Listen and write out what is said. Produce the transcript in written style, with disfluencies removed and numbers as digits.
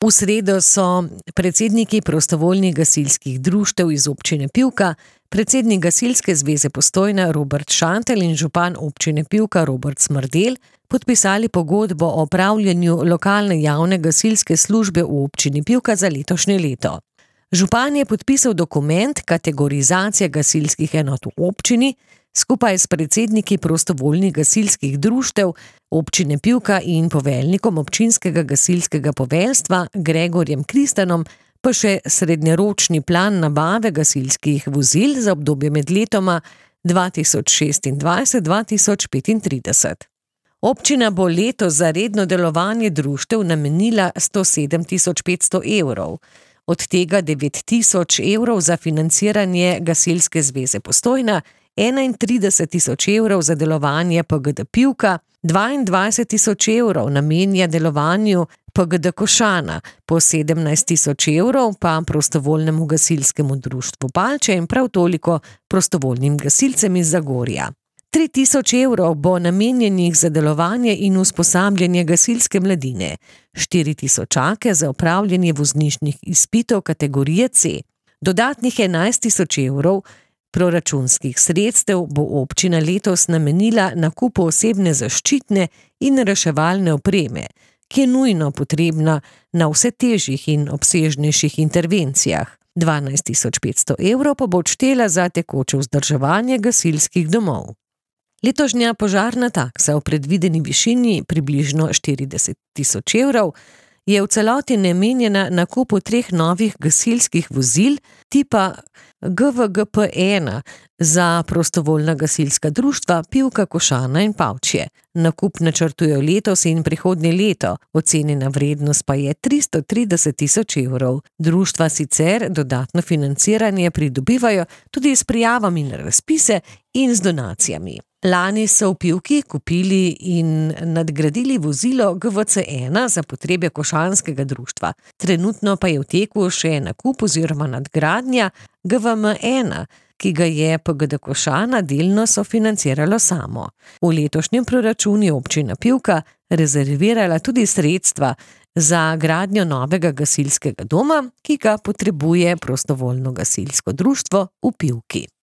V sredo so predsedniki prostovoljnih gasilskih društev iz občine Pivka, predsednik Gasilske zveze Postojna Robert Šantelj in župan občine Pivka Robert Smrdelj podpisali pogodbo o opravljanju lokalne javne gasilske službe v občini Pivka za letošnje leto. Župan je podpisal dokument kategorizacije gasilskih enot v občini, skupaj s predsedniki prostovoljnih gasilskih društev občine Pivka in poveljnikom občinskega gasilskega poveljstva Gregorjem Kristanom pa še srednjeročni plan nabave gasilskih vozil za obdobje med letoma 2026-2035. Občina bo letos za redno delovanje društev namenila 107.500 evrov, od tega 9.000 evrov za financiranje Gasilske zveze Postojna, 31.000 evrov za delovanje PGD Pivka, 22.000 evrov namenja delovanju PGD Košana, po 17.000 evrov pa prostovoljnemu gasilskemu društvu Palče in prav toliko prostovoljnim gasilcem iz Zagorja. 3.000 evrov bo namenjenih za delovanje in usposabljanje gasilske mladine, 4.000 za opravljanje vozniških izpitov kategorije C. Dodatnih 11.000 evrov proračunskih sredstev bo občina letos namenila nakupu osebne zaščitne in reševalne opreme, ki je nujno potrebna na vse težjih in obsežnejših intervencijah. 12.500 evrov pa bo odštela za tekoče vzdrževanje gasilskih domov. Letošnja požarna taksa v predvideni višini približno 40.000 evrov je v celoti namenjena nakupu 3 novih gasilskih vozil tipa GVGP-1 za prostovoljna gasilska društva Pivka, Košana in Pavčje. Nakup načrtujejo letos in prihodnje leto, ocenjena vrednost pa je 330.000 evrov. Društva sicer dodatno financiranje pridobivajo tudi s prijavami na razpise in z donacijami. Lani so v Pivki kupili in nadgradili vozilo GVC-1 za potrebe košanskega društva. Trenutno pa je v teku še nakup oziroma nadgradnja GVM-1, ki ga je PGD Košana delno sofinanciralo samo. V letošnjem proračunu je občina Pivka rezervirala tudi sredstva za gradnjo novega gasilskega doma, ki ga potrebuje prostovoljno gasilsko društvo v Pivki.